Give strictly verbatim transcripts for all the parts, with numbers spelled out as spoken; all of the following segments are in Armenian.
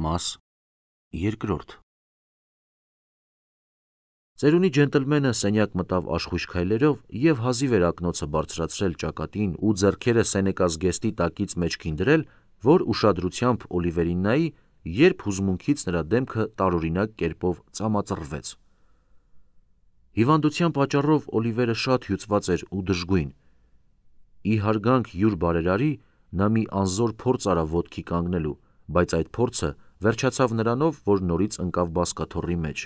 Մաս երկրորդ Ծերունի ջենտլմենը սենյակ մտավ աշխույժ քայլերով և հազիվ էր ակնոցը բարձրացրել ճակատին ու ձեռքերը Սենեկա զգեստի տակից մեջքին դրել, որ ուշադրությամբ Օլիվերին նայի, երբ հուզմունքից նրա դեմքը տարօրինակ կերպով ծամածռվեց: Հիվանդության պատճառով Օլիվերը շատ հյուծված էր ու դժգույն: Ի հարգանք յուր բարերարի, նա մի անզոր փորձ արավ ոտքի կանգնելու, բայց այդ փորձը վերջացավ նրանով, որ նորից ընկավ բազկաթոռի մեջ: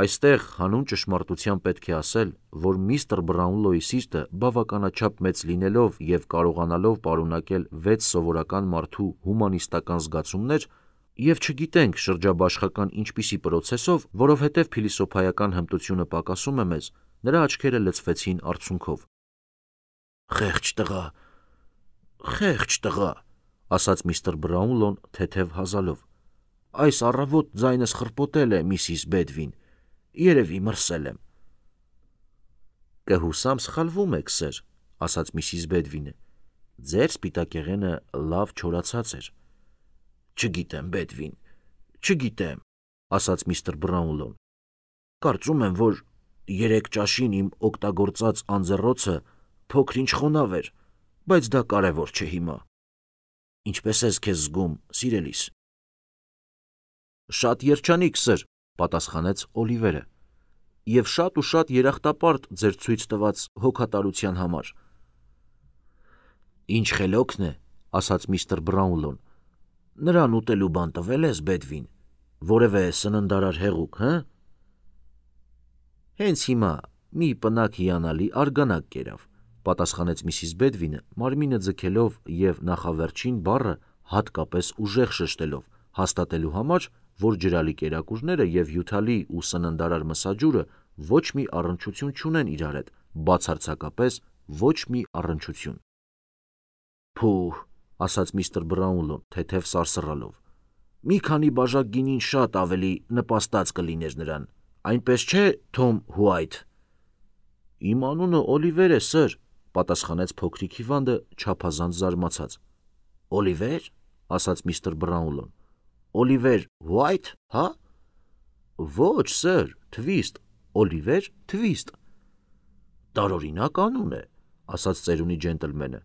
Այստեղ հանուն ճշմարտության պետք է ասել, որ միստր Բրաունլոյի սիրտը բավականաչափ մեծ լինելով և կարողանալով պարունակել վեց սովորական մարդու հումանիստական զգացումներ, և չգիտենք շրջաբաշխական ինչպիսի պրոցեսով, որովհետև փիլիսոփայական հմտությունը պակասում է մեզ, նրա աչքերը լցվեցին արցունքով: «Խեղճ տղա, խեղճ տղա», ասաց միստր Բրաունլոն թեթև հազալով: «Այս առավոտ ձայնս խրպոտել է, միսիս Բեդվին, երևի մրսել եմ»: «Կհուսամ սխալվում եք, սըր», ասաց միսիս Բեդվինը, «ձեր սպիտակեղենը լավ չորացած էր»: «Չգիտեմ, Բեդվին, չգիտեմ», ասաց միստր Բրաունլոն, «կարծում եմ, որ երեկ ճաշին իմ օգտագործած անձեռոցը փոքր-ինչ խոնավ էր, բայց դա կարևոր չէ հիմա: Ինչպե՞ս ես քեզ զգում, սիրելիս»: «Շատ երջանիկ, սըր», պատասխանեց Օլիվերը, «և շատ ու շատ երախտապարտ ձեր ցույց տված հոգատարության համար»: «Ինչ խելոքն է», ասաց միստր Բրաունլոն, «նրան ուտելու բան տվե՞լ ես, Բեդվին, որևէ սննդարար հեղուկ, հը»: «Հենց հիմա մի պնակ հիանալի արգանակ կերավ», պատասխանեց միսիս Բեդվինը, մարմինը ձգելով և նախավերջին բառը հատկապես ուժեղ շշտելով, հաստատելու համար, որ ջրալի կերակուրները և հյութալի ու սննդարար մսաջուրը ոչ մի առնչություն չունեն իրար հետ, բացարձակապես ոչ մի առնչություն: «Փուհ», ասաց միստր Բրաունլոն թեթև սարսռալով, «մի քանի բաժակ գինին շատ ավելի նպաստած կլիներ նրան, այնպես չէ, Թոմ Հուայթ»: «Իմ անունը Օլիվեր է, սըր», պատասխանեց փոքրիկ հիվանդը չափազանց զարմացած: «Օլիվե՞ր», ասաց միստր Բրաունլոն, «Օլիվեր Հուայթ, հա՞: Ոչ, սըր, Թվիստ, Օլիվեր Թվիստ»: «Տարօրինակ անուն է», ասաց ծերունի ջենտլմենը,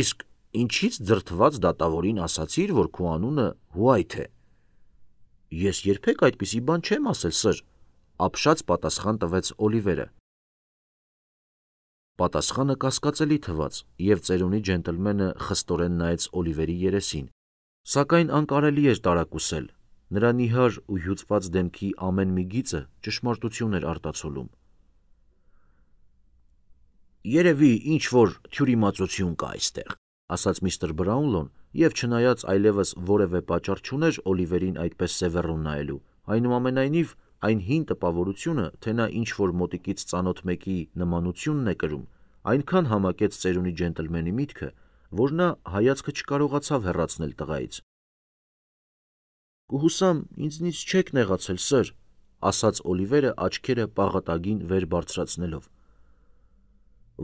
«իսկ ինչի՞ց դրդված դատավորին ասացիր, որ քո անունը Հուայթ է»: «Ես երբեք այդպիսի բան չեմ ասել, սըր», ապշած պատասխան տվեց Օլիվերը: Պատասխանը կասկածելի թվաց, և ծերունի ջենտլմենը խստորեն նայեց Օլիվերի երեսին: Սակայն անկարելի էր տարակուսել, նրա նիհար ու հյուծված դեմքի ամեն մի գիծը ճշմարտություն էր արտացոլում: «Երևի ինչ-որ թյուրիմացություն կա այստեղ», ասաց միստր Բրաունլոն և չնայած այլևս որևէ պատճառ չուներ Օլիվերին այդպես սևեռուն նայելու, այնուամենայնիվ այն հին տպավորությունը, թե նա ինչ-որ մոտիկից ծանոթ մեկի նմանությունն է կրում, այնքան համակեց ծերունի ջենտլմենի միտքը, որ նա հայացքը չկարողացավ հեռացնել տղայից: «Կհուսամ ինձնից չեք նեղացել, սըր», ասաց Օլիվերը աչքերը պաղատագին վեր բարձրացնելով: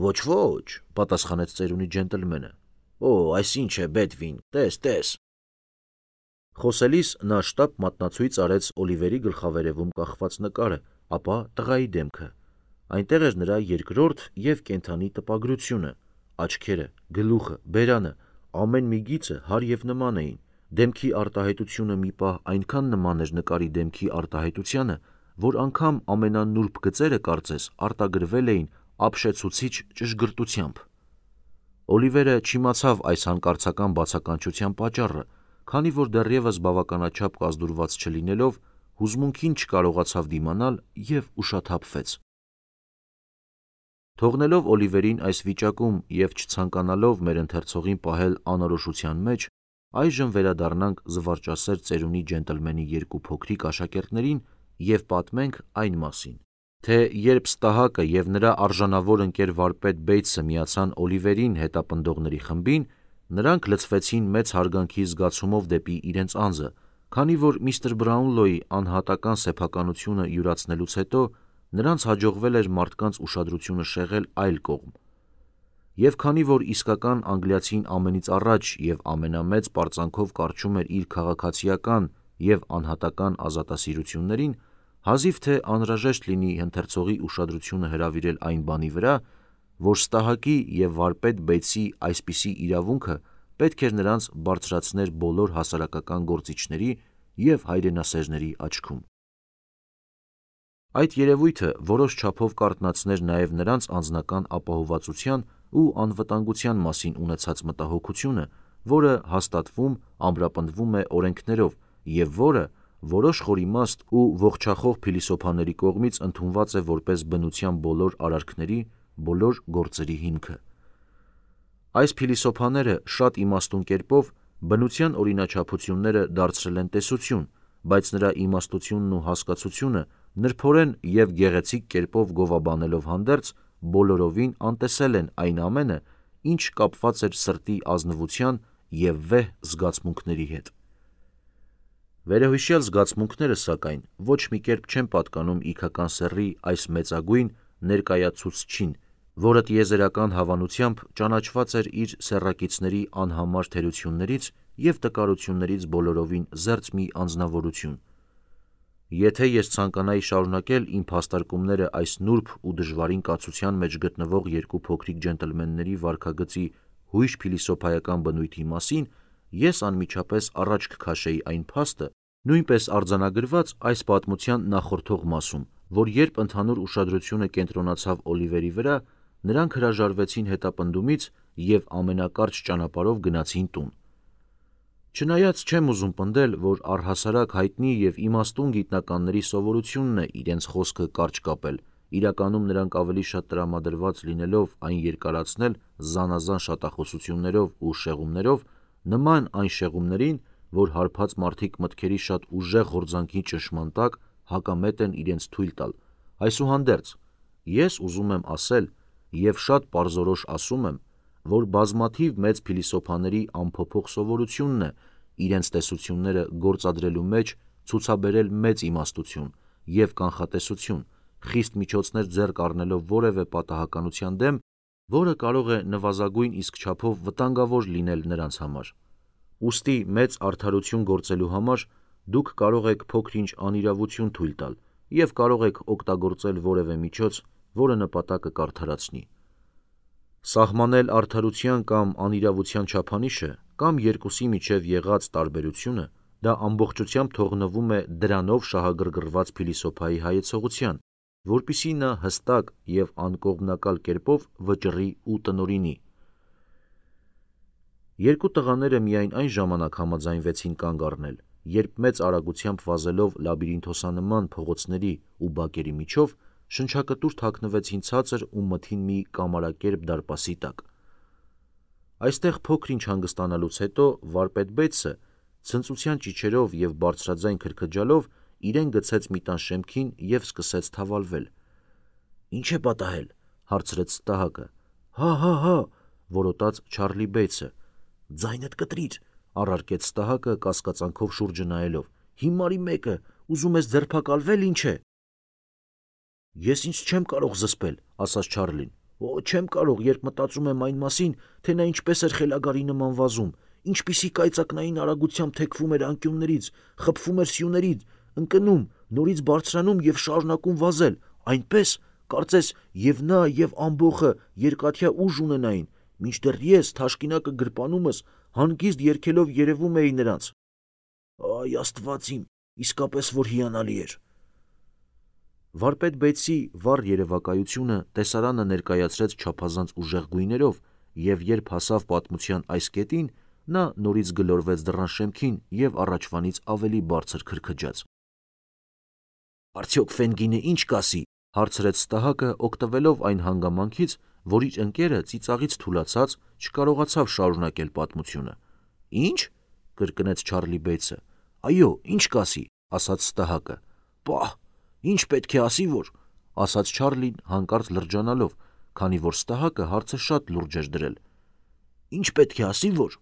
«Ոչ, ոչ», պատասխանեց ծերունի ջենտլմենը, «Օ, այս ինչ է, Բեդվին, տես, տես»: Խոսելիս նա շտապ մատնացույց արեց Օլիվերի գլխավերևում կախված նկարը, ապա տղայի դեմքը: Այնտեղ էր նրա երկրորդ և կենդանի տպագրությունը: Աչքերը, գլուխը, բերանը, ամեն մի գիծը հարև նման էին: Դեմքի արտահայտությունը մի պահ այնքան նման էր նկարի դեմքի արտահայտությանը, որ անգամ ամենանուրբ գծերը, կարծես, արտագրվել էին ապշեցուցիչ ճշգրտությամբ: Օլիվերը չիմացավ այս հանկարծական բացականչության պատճառը, քանի որ դեռևս բավականաչափ կազդուրված չլինելով, հուզմունքին չկարողացավ դիմանալ և ուշաթափվեց: Թողնելով Օլիվերին այս վիճակում և չցանկանալով մեր ընթերցողին պահել անորոշության մեջ, այժմ վերադառնանք զվարճասեր ծերունի ջենտլմենի երկու փոքրիկ աշակերտներին և պատմենք այն մասին, թե երբ Ստահակը և նրա արժանավոր ընկեր վարպետ Բեյթսը միացան Օլիվերին հետապնդողների խմբին, նրանք լցվեցին մեծ հարգանքի զգացումով դեպի իրենց անձը, քանի որ միստր Բրաունլոյի անհատական սեփականությունը յուրացնելուց հետո նրանց հաջողվել էր մարդկանց ուշադրությունը շեղել այլ կողմ: Եվ քանի որ իսկական անգլիացին ամենից առաջ և ամենամեծ պարծանքով կառչում էր իր քաղաքացիական և անհատական ազատասիրություններին, հազիվ թե անհրաժեշտ լինի ընթերցողի ուշադրությունը հրավիրել այն բանի վրա, որ Ստահակի և վարպետ Բեյցի այսպիսի իրավունքը պետք էր նրանց բարձրացներ բոլոր հասարակական գործիչների և հայրենասերների աչքում։ Այդ երևույթը որոշ չափով կարթնացներ նաև նրանց անձնական ապահովվածության ու անվտանգության մասին ունեցած մտահոգությունը, որը հաստատվում, ամրապնդվում է օրենքներով և որը որոշ խորիմաստ ու ողջախոհ փիլիսոփաների կողմից ընդունված է որպես բնության բոլոր արարքների, բոլոր գործերի հիմքը։ Այս փիլիսոփաները շատ իմաստուն կերպով բնության օրինաչափությունները դարձրել են տեսություն, բայց նրա իմաստությունն ու հասկացությունը նրբորեն և գեղեցիկ կերպով գովաբանելով հանդերձ, բոլորովին անտեսել են այն ամենը, ինչ կապված էր սրտի ազնվության և վեհ զգացմունքների հետ։ Վերոհիշյալ զգացմունքները, սակայն, ոչ մի կերպ չեն պատկանում իգական սեռի այս մեծագույն ներկայացուցչին, որը տիեզերական հավանությամբ ճանաչված էր իր սեռակիցների անհամար թերություններից և տկարություններից բոլորովին զերծ մի անձնավորություն։ Եթե ես ցանկանայի շարունակել իմ փաստարկումները այս նուրբ ու դժվարին կացության մեջ գտնվող երկու փոքրիկ ջենտլմենների վարքագծի հույժ փիլիսոփայական բնույթի մասին, ես անմիջապես առաջ կքաշեի այն փաստը, նույնպես արձանագրված այս պատմության նախորդող մասում, որ երբ ընդհանուր ուշադրությունը կենտրոնացավ Օլիվերի վրա, նրանք հրաժարվեցին հետապնդումից և ամենակարճ ճանապարհով գնացին տուն։ Չնայած չեմ ուզում պնդել, որ առհասարակ հայտնի և իմաստուն գիտնականների սովորությունն է իրենց խոսքը կարճ կապել, իրականում նրանք ավելի շատ տրամադրված լինելով այն երկարացնել զանազան շատախոսություններով ու շեղումներով, նման այն շեղումներին, որ հարբած մարդիկ մտքերի շատ ուժեղ հորձանքի ճնշման տակ հակամետ են իրենց թույլ տալ։ Այսուհանդերձ, ես ուզում եմ ասել և շատ պարզորոշ ասում եմ, որ բազմաթիվ մեծ փիլիսոփաների անփոփոխ սովորությունն է իրենց տեսությունները գործադրելու մեջ ցուցաբերել մեծ իմաստություն և կանխատեսություն, խիստ միջոցներ ձեռք առնելով որևէ պատահականության դեմ, որը կարող է նվազագույն իսկ չափով վտանգավոր լինել նրանց համար։ Ուստի մեծ արդարություն գործելու համար դուք կարող եք փոքր-ինչ անիրավություն թույլ տալ և կարող եք օգտագործել որևէ միջոց, որը նպատակը կարդարացնի։ Սահմանել արդարության կամ անիրավության չափանիշը կամ երկուսի միջև եղած տարբերությունը, դա ամբողջությամբ թողնվում է դրանով շահագրգռված փիլիսոփայի հայեցողության, որպեսզի նա հստակ և անկողմնակալ կերպով վճռի ու տնօրինի։ Երկու տղաները միայն այն ժամանակ համաձայնվեցին կանգ առնել, երբ մեծ արագությամբ վազելով լաբիրինթոսանման փողոցների ու բակերի միջով, շնչակտուր թաքնվեցին ցածր ու մթին մի կամարակերպ դարպասի տակ։ Այստեղ փոքր-ինչ հանգստանալուց հետո վարպետ Բեյցը ցնծության ճիչերով և բարձրաձայն քրքջալով իրեն գցեց մի տան շեմքին և սկսեց թավալվել։ «Ի՞նչ է պատահել», հարցրեց Ստահակը։ «Հա, հա, հա», որոտաց Չարլի Բեյցը։ «Ձայնդ կտրիր», առարկեց Ստահակը կասկածանքով շուրջը նայելով։ «Հիմարի մեկը, ուզում ես ձերբակալվե՞լ, ինչ է»։ «Ես ինձ չեմ կարող զսպել», ասաց Չարլին։ «Օ, չեմ կարող, երբ մտածում եմ այն մասին, թե նա ինչպես էր խելագարի նման վազում, ինչպիսի կայծակնային արագությամբ թեքվում էր անկյուններից, խփվում էր սյուներից, ընկնում, նորից բարձրանում և շարունակում վազել, այնպես, կարծես և նա, և ամբոխը երկաթյա ուժ ունենային, մինչդեռ ես թաշկինակը գրպանումս հանգիստ երգելով երևում էի նրանց։ Այ Աստված իմ, իսկապես որ հիանալի էր»։ Վարպետ Բեյցի վառ երևակայությունը տեսարանը ներկայացրեց չափազանց ուժեղ գույներով, և երբ հասավ պատմության այս կետին, նա նորից գլորվեց դռան շեմքին և առաջվանից ավելի բարձր քրքջաց։ «Արդյոք Ֆենգինը ի՞նչ կասի», հարցրեց Ստահակը, օգտվելով այն հանգամանքից, որ իր ընկերը ծիծաղից թուլացած չկարողացավ շարունակել պատմությունը։ «Ի՞նչ», կրկնեց Չարլի Բեյցը։ «Այո, ի՞նչ կասի», ասաց Ստահակը։ «Պահ, ինչ պետք է ասի, որ», ասաց Չարլին հանկարծ լրջանալով, քանի որ Ստահակը հարցը շատ լուրջ էր դրել։ «Ինչ պետք է ասի, որ…»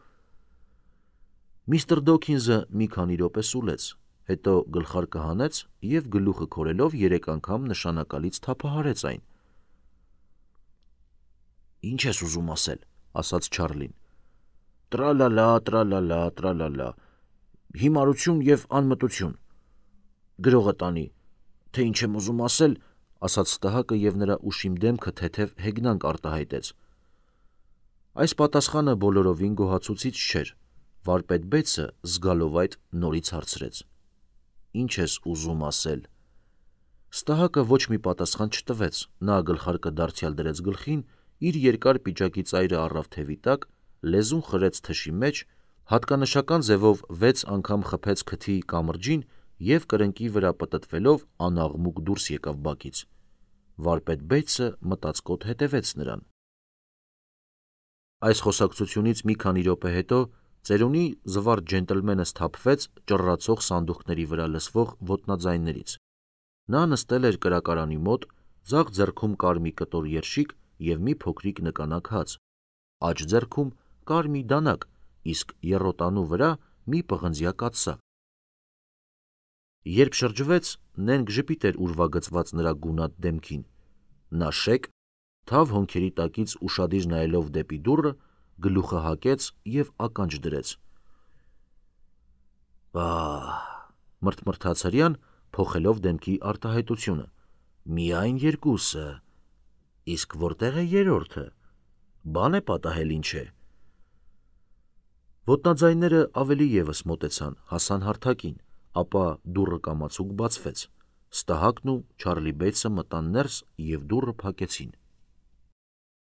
Միստր Դոքինզը մի քանի րոպե սուլեց, հետո գլխարկը հանեց և գլուխը քորելով երեք անգամ նշանակալից թափահարեց այն։ Ինչ ես ուզում ասել, ասաց Չարլին։ Տրալալա, տրալալա, տրալալա, հիմարություն և անմտություն։ Գրողը տանի, թե ինչ եմ ուզում ասել, ասաց Ստահակը և նրա ուշիմ դեմքը թեթև հեգնանք արտահայտեց։ Այս պատասխանը բոլորովին գոհացուցիչ չէր։ Վարպետ-բեծը զգալով այդ նորից հարցրեց. Ինչ ես ուզում ասել։ Ստահակը ոչ մի պատասխան չտվեց, նա գլխարկը դարձյալ դրեց գլխին, իր երկար պիջակի ծայրը առավ թևի տակ, լեզուն խրեց թշի մեջ, հատկանշական ձևով վեց անգամ խփեց քթի կամրջին և կրնկի վրա պտտվելով անաղմուկ դուրս եկավ բակից։ Վարպետ-բեծը մտածկոտ հետևեց նրան։ Այս խոսակցությունից մի քանի րոպե հետո ծերունի զվարթ ջենտլմենը սթափվեց ճռռացող սանդուղքների վրա լսվող ոտնաձայներից։ Նա նստել էր կրակարանի մոտ, ձախ ձեռքում կար մի կտոր երշիկ և մի փոքրիկ նկանակ հաց, աջ ձեռքում կար մի դանակ, իսկ եռոտանու վրա մի պղնձյա կաթսա։ Երբ շրջվեց, նենգ ժպիտ էր ուրվագծված նրա գունատ դեմքին։ Նա շեկ, թավ հոնքերի տակից ուշադիր նայելով դեպի դուռը, գլուխը հակեց և ականջ դրեց։ Բա՜, մրթմրթաց հրեան, փոխելով դեմքի արտահայտությունը։ Միայն երկուսը։ Իսկ որտեղ է երրորդը։ Բան է պատահել, ինչ է։ Ոտնաձայները ավելի ևս մոտեցան, հասան հարթակին, ապա դուռը կամացուկ բացվեց։ Ստահակն ու Չարլի Բեյցը մտան ներս և դուռը փակեցին։